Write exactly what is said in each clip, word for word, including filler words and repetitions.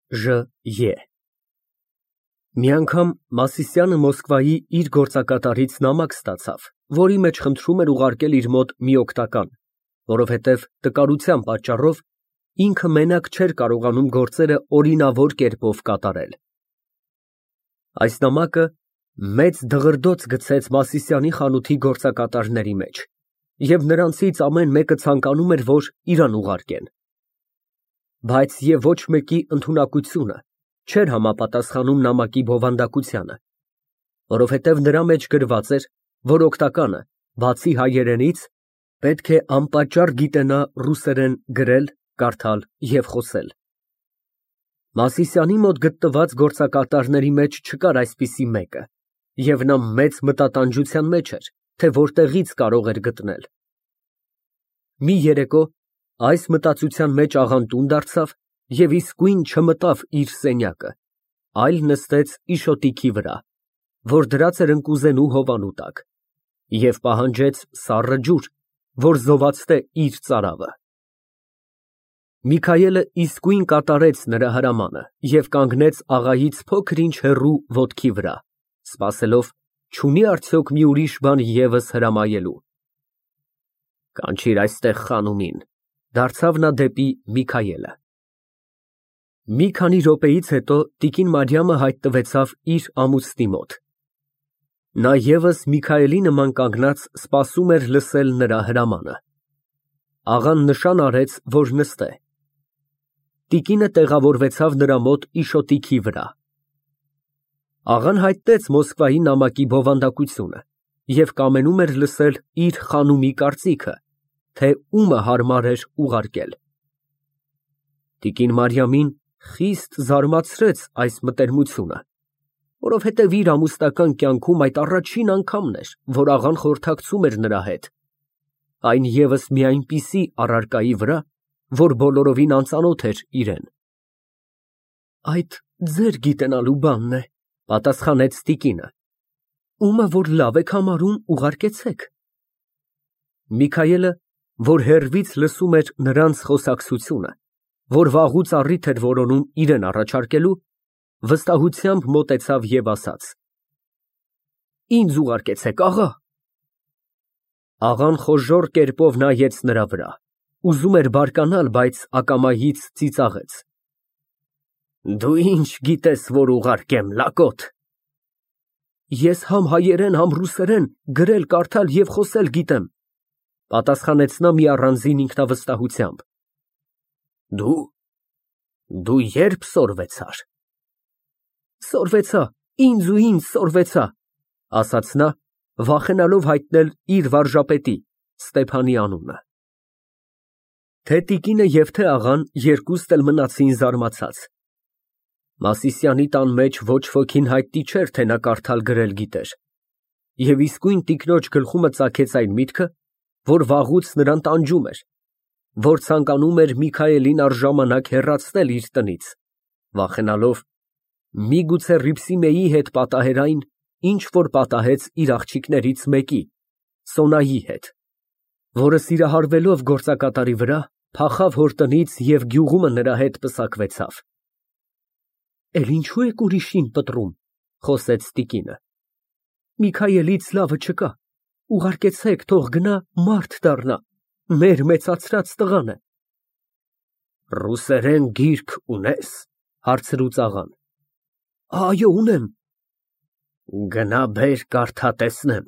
Ժ. Մի անգամ Մասիսյանը Մոսկվայի իր գործակատարից նամակ ստացավ, որի մեջ խնդրում էր ուղարկել իր մոտ մի օգնական, որովհետև տկարության պատճառով ինքը մենակ չէր կարողանում գործերը օրինավոր կերպով կատարել։ Այս նամակը մեծ դղրդոց գցեց Մասիսյանի խանութի գործակատարների մեջ, և նրանցից ամեն մեկը ցանկանում էր, որ իրան ուղարկեն։ Բայց և ոչ մեկի ընդունակությունը չէր համապատասխանում նամակի բովանդակությանը, որովհետև նրա մեջ գրված էր, որ օգնականը, բացի հայերենից, պետք է անպատճառ գիտենա ռուսերեն գրել, կարդալ և խոսել։ Մասիսյանի մոտ գտնված գործակատարների մեջ չկար այսպիսի մեկը, և նա մեծ մտատանջության մեջ էր, թե որտեղից կարող էր գտնել։ Մի երեկո այս մտածության մեջ աղան տուն դարձավ և իսկույն չմտավ իր սենյակը, այլ նստեց իշոտիքի վրա, որ դրած էր ընկուզենու հովանու տակ, և պահանջեց սառը ջուր, որ զովացնե իր ծարավը։ Միքայելը իսկույն կատարեց նրա հրամանը և կանգնեց աղայից փոքր-ինչ հեռու ոտքի վրա, սպասելով չունի՞ արդյոք մի ուրիշ բան ևս հրամայելու։ Կանչիր այստեղ խանումին, դարձավ նա դեպի Միքայելը։ Մի քանի րոպեից հետո տիկին Մարիամը հայտնվեցավ իր ամուսնի մոտ։ Նա ևս Միքայելի նման կանգնած սպասում էր լսել նրա հրամանը։ Աղան նշան արեց, որ նստե։ Տիկինը տեղավորվեցավ նրա մոտ իշոտիքի վրա։ Աղան հայտնեց Մոսկվայի նամակի բովանդակությունը և կամենում էր լսել իր խանումի կարծիքը, թե ումը հարմար էր ուղարկել։ Տիկին Մարիամին խիստ զարմացրեց այս մտերմությունը, որովհետև իր ամուսնական կյանքում այդ առաջին անգամն էր, որ աղան խորհրդակցում էր նրա հետ, այն ևս մի այնպիսի առարկայի վրա, որ բոլորովին անծանոթ էր իրան։ Այդ ձեր գիտենալու բանն է, պատասխանեց տիկինը, ումը որ լավ եք համարում, ուղարկեցեք։ Միքայելը, որ հեռվից լսում էր նրանց խոսակցությունը, որ վաղուց առիթ էր որոնում իրան առաջարկելու, վստահությամբ մոտեցավ և ասաց. Ինձ ուղարկեցեք, աղա։ Աղան խոժոռ կերպով նայեց նրա վրա, ուզում էր բարկանալ, բայց ակամայից ծիծաղեց. Դու ինչ գիտես, որ ուղարկեմ, լակոտ։ Ես համ հայերեն, համ ռուսերեն գրել, կարդալ և խոսել գիտեմ, պատասխանեց նա մի առանձին ինքնավստահությամբ։ Դու… դու ե՞րբ սորվեցար։ Սորվեցա, ինձ ու ինձ սորվեցա, ասաց նա, վախենալով հայտնել իր վարժապետի Ստեփանի անունը։ Թե տիկինը և թե աղան երկուստ էլ մնացին զարմացած։ Մասիսյանի տան մեջ ոչ ոքին հայտնի չէր, թե նա կարդալ գրել գիտեր, և իսկույն տիկնոջ գլխումը ծագեց այն միտքը, որ վաղուց նրան տանջում էր, որ ցանկանում էր Միքայելին առժամանակ հեռացնել իր տնից, վախենալով միգուցե Հռիփսիմեի հետ պատահեր այն, ինչ որ պատահեց իր աղջիկներից մեկի՝ Սոնայի հետ, որը սիրահարվելով գործակատարի վրա, փախավ հոր տնից և գյուղումը նրա հետ պսակվեցավ։ Էլ ինչո՞ւ եք ուրիշին պտռում, խոսեց տիկինը։ Միքայելից լավը չկա, ուղարկեցեք, թող գնա մարդ դառնա, մեր մեծացրած տղան է։ Ռուսերեն գիրք ունե՞ս, հարցրուց աղան։ Այո, ունեմ։ Գնա բեր, կարդա տեսնեմ։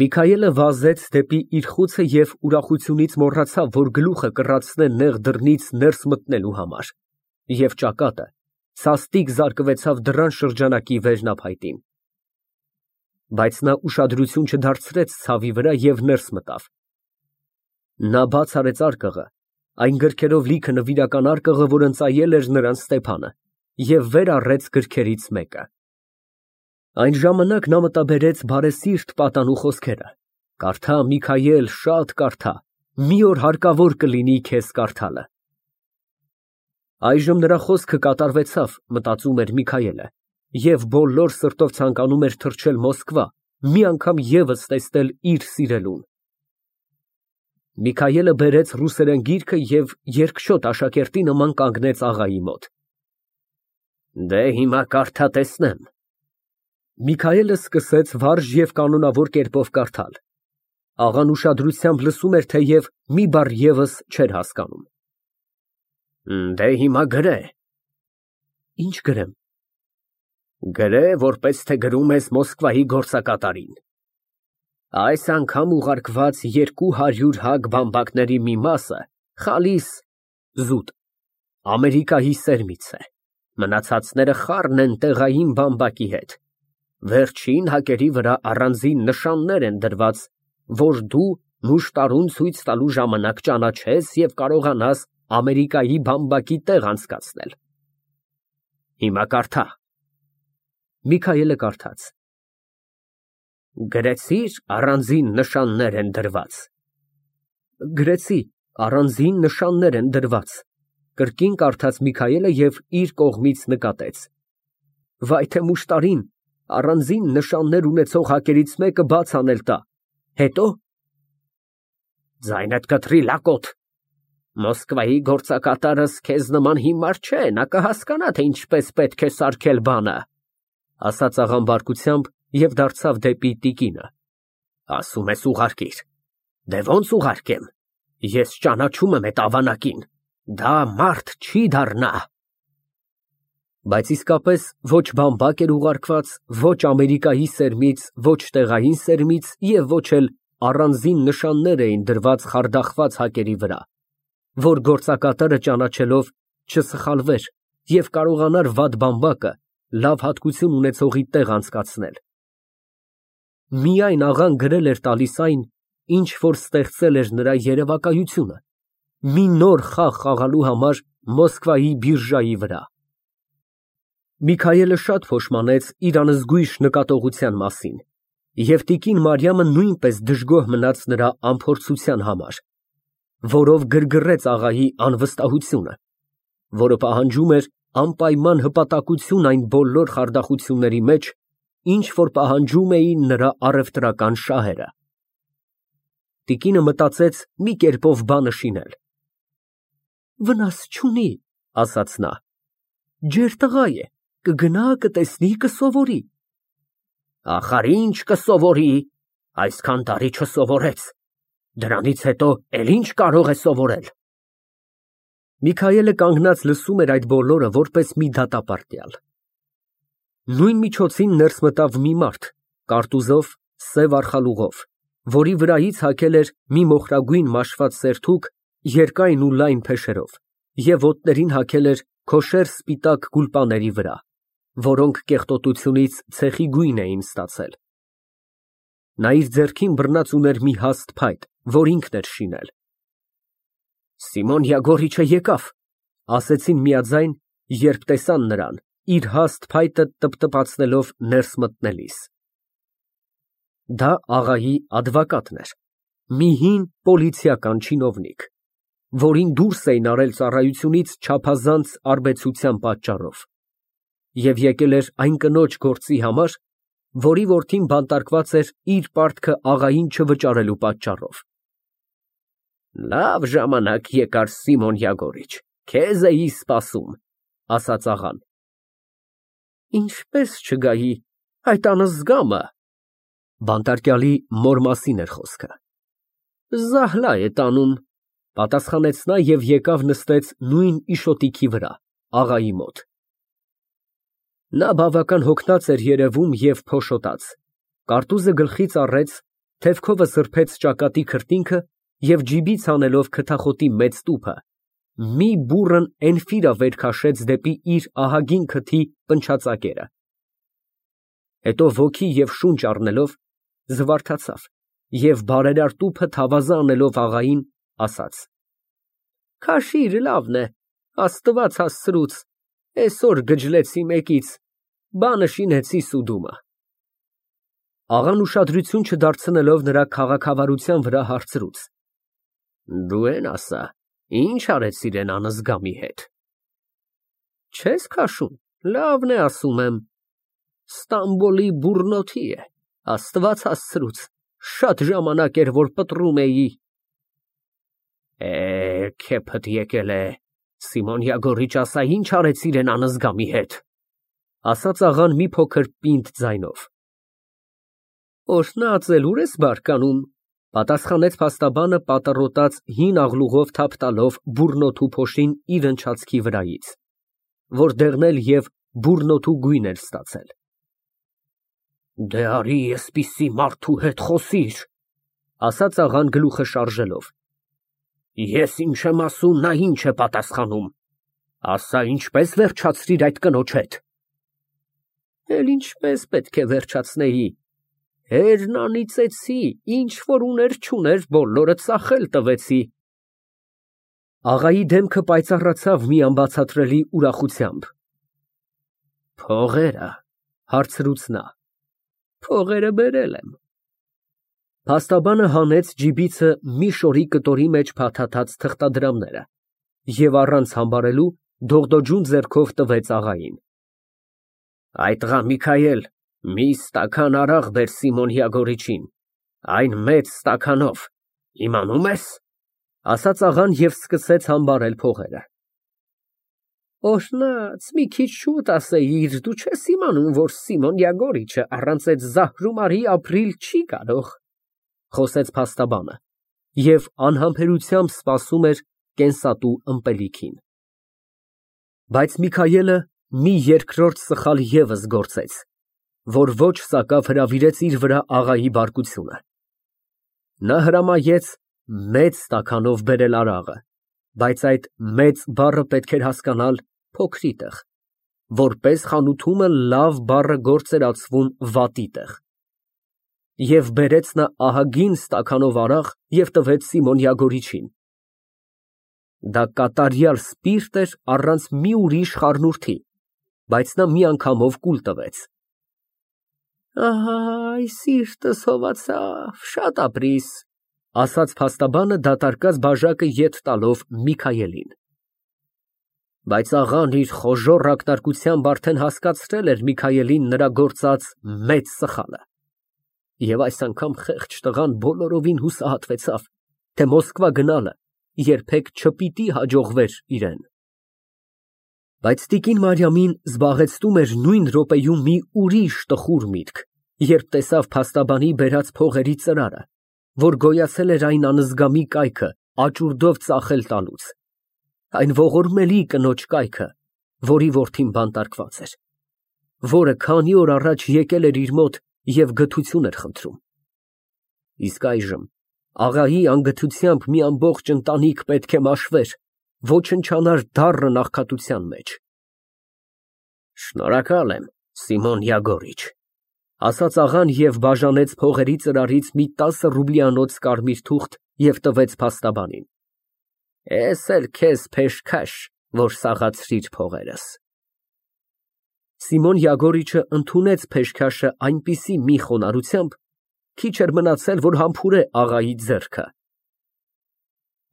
Միքայելը վազեց դեպի իր խուցը և ուրախությունից մոռացավ, որ գլուխը կռացնե նեղ դռնից ներս մտնելու համար, և ճակատը սաստիկ զարկվեցավ դռան շրջանակի վերնափայտին։ Բայց նա ուշադրություն չդարձրեց ցավի վրա և ներս մտավ։ Նա բաց արեց արկղը, այն գրքերով լիքը նվիրական արկղը, որ ընծայել էր նրան Ստեփանը, և վեր առեց գրքերից մեկը։ Այն ժամանակ նա մտաբերեց բարեսիրտ պատանու խոսքերը. «Կարդա, Միքայել, շատ կարդա, մի օր հարկավոր կլինի քեզ կարդալը»։ Այժմ նրա խոսքը կատարվեցավ, մտածում էր Միքայելը, և բոլոր սրտով ցանկանում էր թռչել Մոսկվա, մի անգամ ևս տեսնել իր սիրելուն։ Միքայելը բերեց ռուսերեն գիրքը և երկչոտ աշակերտի նման կանգնեց աղայի մոտ։ Դե հիմա կարդա տեսնեմ։ Միքայելը սկսեց վարժ և կանոնավոր կերպով կարդալ։ Աղան ուշադրությամբ լսում էր, թեև մի բառ ևս չէր հասկանում։ Դե հիմա գրե։ Ինչ գրեմ։ Գրե, որպես թե գրում ես Մոսկվայի գործակատարին։ Այս անգամ ուղարկված երկու հարյուր հագ բամբակների մի մասը խալիս Ամերիկայի սերմից է, մնացածները խառն են տեղային բամբակի հետ, վերջին հակերի վրա առանձին նշաններ են դրված, որ դու մուշտարուն ցույց տալու ժամանակ ճանաչես և կարողանաս Ամերիկայի բամբակի տեղ անցկացնել։ Հիմա կարդա։ Միքայելը կարդաց. Գրեցի՞ր առանձին նշաններ են դրված։ Գրեցի, առանձին նշաններ են դրված, կրկին կարդաց Միքայելը և իր կողմից նկատեց. Վայ թե մուշտարին առանձին նշաններ ունեցող հակերից մեկը բաց անել տա, հետո… Ձայնդ կտրի, լակոտ, Մոսկվայի գործակատարս քեզ նման հիմար չէ, նա կհասկանա, թե ինչպես պետք է սարքել բանը, ասաց աղան բարկությամբ և դարձավ դեպի տիկինը։ Ասում ես ուղարկիր, դե ոնց ուղարկեմ, ես ճանաչում եմ էդ ավանակին, դա մարդ չի դառնա։ Բայց իսկապես ոչ բամբակ էր ուղարկված, ոչ Ամերիկայի սերմից, ոչ տեղային սերմից և ոչ էլ առանձին նշաններ էին դրված խարդախված հակերի վրա, որ գործակատարը ճանաչելով չսխալվեր և կարողանար վատ բամբակը լավ հատկություն ունեցողի տեղ անցկացնել։ Միայն աղան գրել էր տալիս այն, ինչ որ ստեղծել էր նրա երևակայությունը, մի նոր խաղ խաղալու համար Մոսկվայի բիրժայի վրա։ Միքայելը շատ փոշմանեց իր անզգույշ նկատողության մասին, և տիկին Մարիամը նույնպես դժգոհ մնաց նրա անփորձության համար, որով գրգռեց աղայի անվստահությունը, որը պահանջում էր անպայման հպատակություն այն բոլոր խարդախությունների մեջ, ինչ որ պահանջում էին նրա առևտրական շահերը։ Տիկինը մտածեց մի կերպով բանը շինել։ Վնաս չունի, ասաց նա, ջեր տղա է, կգնա, կտեսնի, կսովորի։ Ախար ինչ կսովորի, այսքան տարի չսովորեց, դրանից հետո էլ ինչ կարող է սովորել։ Միքայելը կանգնած լսում էր այդ բոլորը որպես մի դատապարտյալ։ Նույն միջոցին ներս մտավ մի մարդ, կարտուզով, սև արխալուղով, որի վրայից հագել էր մի մոխրագույն մաշված սերթուկ երկայն ու լայն փեշերով և ոտներին հագել էր քոշեր սպիտակ գուլպաների վրա, որոնք կեղտոտությունից ցեխի գույն էին ստացել։ Նա իր ձեռքին բռնած ուներ մի հաստ փայտ, որ ինքն էր շինել։ Սիմոն Յագոռիչը եկավ, ասեցին միաձայն, երբ տեսան նրան, իր հաստ փայտը տպտպացնելով ներս մտնելիս։ Դա աղայի ադվակատն էր, մի հին պոլիցիական չինովնիկ, որին դուրս էին արել ծառայությունից չափազանց արբեցության պատճառով, և եկել էր այն կնոջ գործի համար, որի որդին բանտարկված էր իր պարտքը աղային չվճարելու պատճառով։ Լավ ժամանակ եկար, Սիմոն Յագոռիչ, քեզ էի սպասում, ասաց աղան։ Ինչպես չգայի, այդ անզգամը, բանտարկյալի մոր մասին էր խոսքը։ Զահլա է տանում, պատասխանեց նա և եկավ նստեց նույն իշոտիքի վրա, աղայի մոտ։ Նա բավական հոգնած էր երևում և փոշոտած, կարտուզը գլխից առեց, թևքովը սրբեց ճակատի քրտինքը և ջիբից հանելով քթախոտի մեծ տուփը, մի բուռն էնֆիրա վեր քաշեց դեպի իր ահագին քթի պնչացակերը։ Հետո ոգի և շունչ առնելով, զվարթացավ և բարերար տուփը թավազը անելով աղային, ասաց. Քաշիր, լավն է, Աստված հասցրուց, էսօր գջլեցի մեկից, բանը շինեցի սուդումը։ Աղան ուշադրություն չդարձնելով նրա քաղաքավարության վրա հարցրուց. Դու են ասա, ինչ արեցիր էն անզգամի հետ։ Չես քաշում, լավն է ասում եմ, Ստամբոլի բուռնոթի է, Աստված հասցրուց, շատ ժամանակ էր, որ պտռում էի։ Է, քեփդ եկել է, Սիմոն Յագոռիչ, ասա, ինչ արեցիր են անզգամի հետ, ասաց աղան մի փոքր պինդ ձայնով։ Օրհնած ուր ես բարկանում, պատասխանեց փաստաբանը պատառոտած հին աղլուղով թափ տալով բուրնոթու փոշին իր ընչացքի վրայից, որ դեղնել և բուրնոթու գույն էր ստացել։ Դե արի էսպիսի մարդու հետ խոսիր, ասաց աղան գլուխը շարժելով։ Ես ինչ եմ ասում, նա ինչ է պատասխանում, ասա, ինչպես վերջացրիր այդ կնոջ հետ։ Էլ ինչպես պետք է վերջացնեի, հերն անիծեցի, ինչ որ ուներ չուներ, բոլորը ծախել տվեցի։ Աղայի դեմքը պայծառացավ մի անբացատրելի ուրախությամբ։ Փողերը, հարցրուց նա։ Փողերը բերել եմ։ Փաստաբանը հանեց ջիբիցը մի շորի կտորի մեջ փաթաթած թղթադրամները և առանց համբարելու դողդոջուն ձեռքով տվեց աղային։ Այդ ղա Միքայել, մի ստաքան արաղ բեր Սիմոն Յագոռիչին, այն մեծ ստաքանով, իմանում ես, ասաց աղան և սկսեց համբարել փողերը։ Օրհնած, մի քիչ շուտ ասեիր, դու չես իմանում, որ Սիմոն Յագոռիչը առանց այդ զահրումարի ապրիլ չի կարող, խոսեց փաստաբանը և անհամբերությամբ սպասում էր կենսատու ըմպելիքին։ Բայց Միքայելը մի երկրորդ սխալ ևս գործեց, որ ոչ սակավ հրավիրեց իր վրա աղայի բարկությունը։ Նա հրամայեց մեծ ստաքանով բերել արաղը, բայց այդ մեծ բառը պետք էր հասկանալ փոքրի տեղ, որպես խանութումը լավ բառը գործերացվում վատի տեղ։ Եվ բերեց նա ահագին ստաքանով արաղ և տվեց Սիմոն Յագոռիչին։ Դա կատարյալ սպիրտ էր առանց մի ուրիշ խառնուրդի, բայց նա միանգամով կուլ տվեց։ Այ սիրտս հովացավ, շատ ապրիս, ասաց փաստաբանը դատարկած բաժակը ետ տալով Միքայելին։ Բայց աղան իր խոժոռ ակնարկությամբ արդեն հասկացրել էր Միքայելին նրա գործած մեծ սխալը։ Եվ այս անգամ խեղճ տղան բոլորովին հուսահատվեցավ, թե Մոսկվա գնալը երբեք չպիտի հաջողվեր իրան։ Բայց տիկին Մարիամին զբաղեցնում էր նույն րոպեում մի ուրիշ տխուր միտք, երբ տեսավ փաստաբանի բերած փողերի ծրարը, որ գոյացել էր այն անզգամի կայքը աճուրդով ծախել տալուց, այն ողորմելի կնոջ կայքը, որի որդին բանտարկված էր, որը քանի օր առաջ եկել էր իր մոտ և գթություն էր խնդրում։ Իսկ այժմ աղայի անգթությամբ մի ամբողջ ընտանիք պետք է մաշվեր, ոչնչանար դառն աղքատության մեջ։ Շնորհակալ եմ, Սիմոն Յագոռիչ, ասաց աղան և բաժանեց փողերի ծրարից մի տասը ռուբլիանոց կարմիր թուղթ և տվեց փաստաբանին։ Էս էլ քեզ փեշքաշ, որ սաղացրիր փողերս։ Սիմոն Յագոռիչը ընդունեց փեշքաշը այնպիսի մի խոնարհությամբ, քիչ էր մնացել, որ համբուրե աղայի ձեռքը։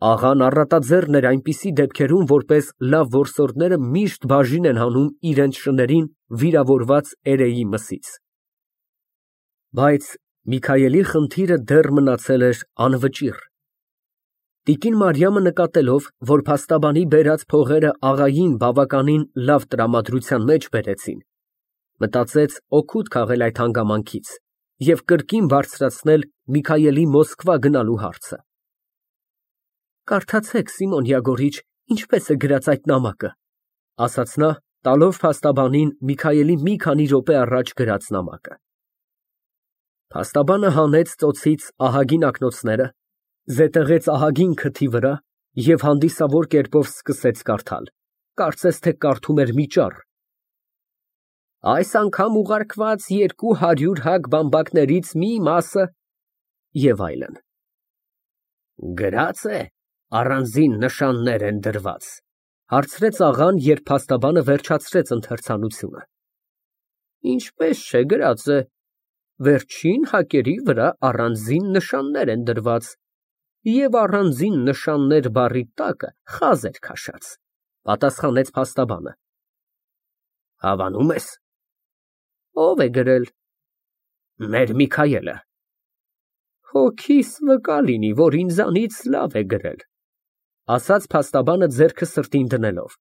Աղան առատաձեռն էր այնպիսի դեպքերում, որպես լավ որսորդները միշտ բաժին են հանում իրենց շներին վիրավորված էրեի մսից։ Բայց Միքայելի խնդիրը դեռ մնացել էր անվճիռ։ Տիկին Մարիամը նկատելով, որ փաստաբանի բերած փողերը աղային բավականին լավ տրամադրության մեջ բերեցին, մտածեց օգուտ քաղել այդ հանգամանքից և կրկին բարձրացնել Միքայելի Մոսկվա գնալու հարցը։ Կարդացեք, Սիմոն Յագոռիչ, ինչպես է գրած այդ նամակը, ասաց նա, տալով փաստաբանին Միքայելի մի քանի րոպե առաջ գրած նամակը։ Փաստաբանը հանեց ծոցից ահագին ակնոցները, զետեղեց ահագին քթի վրա և հանդիսավոր կերպով սկսեց կարդալ, կարծես թե կարդում էր մի ճառ։ Այս անգամ ուղարկված երկու հարյուր հագ բամբակներից մի մասը և այլն։ Գրած է, առանձին նշաններ են դրված, հարցրեց աղան, երբ փաստաբանը վերջացրեց ընթերցանությունը։ Ինչպես չէ գրած է, վերջին հակերի վրա առանձին նշաններ են դրված, և առանձին նշաններ բառի տակը խազ էր քաշած, պատասխանեց փաստաբանը։ Հավանում ես։ Ո՞վ է գրել։ Մեր Միքայելը։ Հոգիս վկա լինի, որ ինձանից լավ է գրել։ ասաց փաստաբանը ձեռքը սրտին դնելով։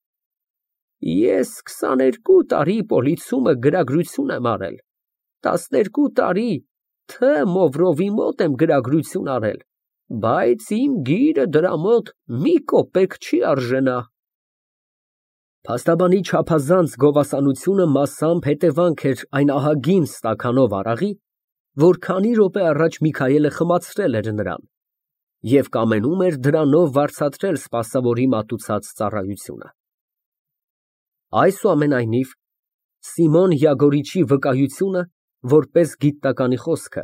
Ես քսաներկու տարի պոլիցիումը գրագրություն եմ արել, տասներկու տարի Թ. Մովրովի մոտ եմ գրագրություն արել, բայց իմ գիրը դրա մոտ մի կոպեկ չի արժենա։ Փաստաբանի չափազանց գովասանությունը մասամբ հետևանք էր այն ահագին ստաքանով արաղի, որ քանի րոպե առաջ Միքայելը խմացրել էր նրան և կամենում էր դրանով վարձատրել սպասավորի մատուցած ծառայությունը։ Այսուամենայնիվ, Սիմոն Յագորիչի վկայությունը, որպես գիտականի խոսքը,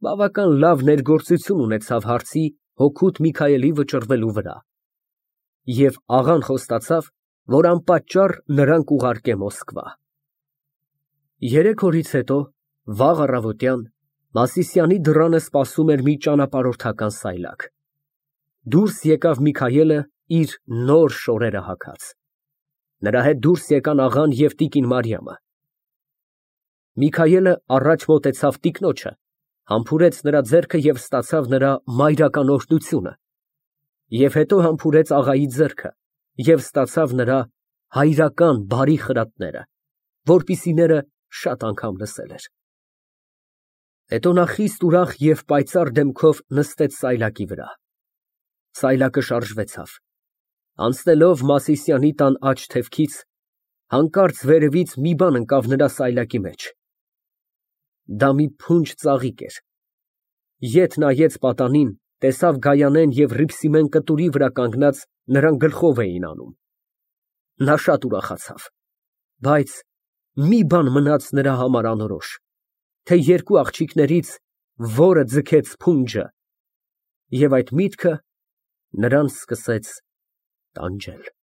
բավական լավ ներգործություն ունեցավ հարցի հօգուտ Միքայելի վճռվելու վրա, և աղան խոստացավ, որ անպատճառ նրան կուղարկե Մոսկվա։ Երեք օրից հետո, վաղ առավոտյան, Մասիսյանի դռանը սպասում էր մի ճանապարհորդական սայլակ։ Դուրս եկավ Միքայելը իր նոր շորերը հագած։ Նրա հետ դուրս եկան աղան և տիկին Մարիամը։ Միքայելը առաջ մոտեցավ տիկնոջը, համբուրեց նրա ձեռքը և ստացավ նրա մայրական օրհնությունը, և հետո համբուրեց աղայի ձեռքը և ստացավ նրա հայրական բարի խրատները, որպիսիները շատ անգամ լսել էր։ Հետո նա խիստ ուրախ և պայծառ դեմքով նստեց սայլակի վրա։ Սայլակը շարժվեցավ։ Անցնելով Մասիսյանի տան աջ թևքից, հանկարծ վերևից մի բան ընկավ նրա սայլակի մեջ։ Դա մի փունջ ծաղիկ էր։ Ետ նայեց պատանին, տեսավ Գայանեն և ռիփսիմեն կտուրի վրա կանգնած նրան գլխով էին անում։ Նա շատ ուրախացավ, բայց մի բան մնաց նրա համար անորոշ, թե երկու աղջիկներից որը ձգեց փունջը, և այդ միտքը նրան սկսեց տանջել։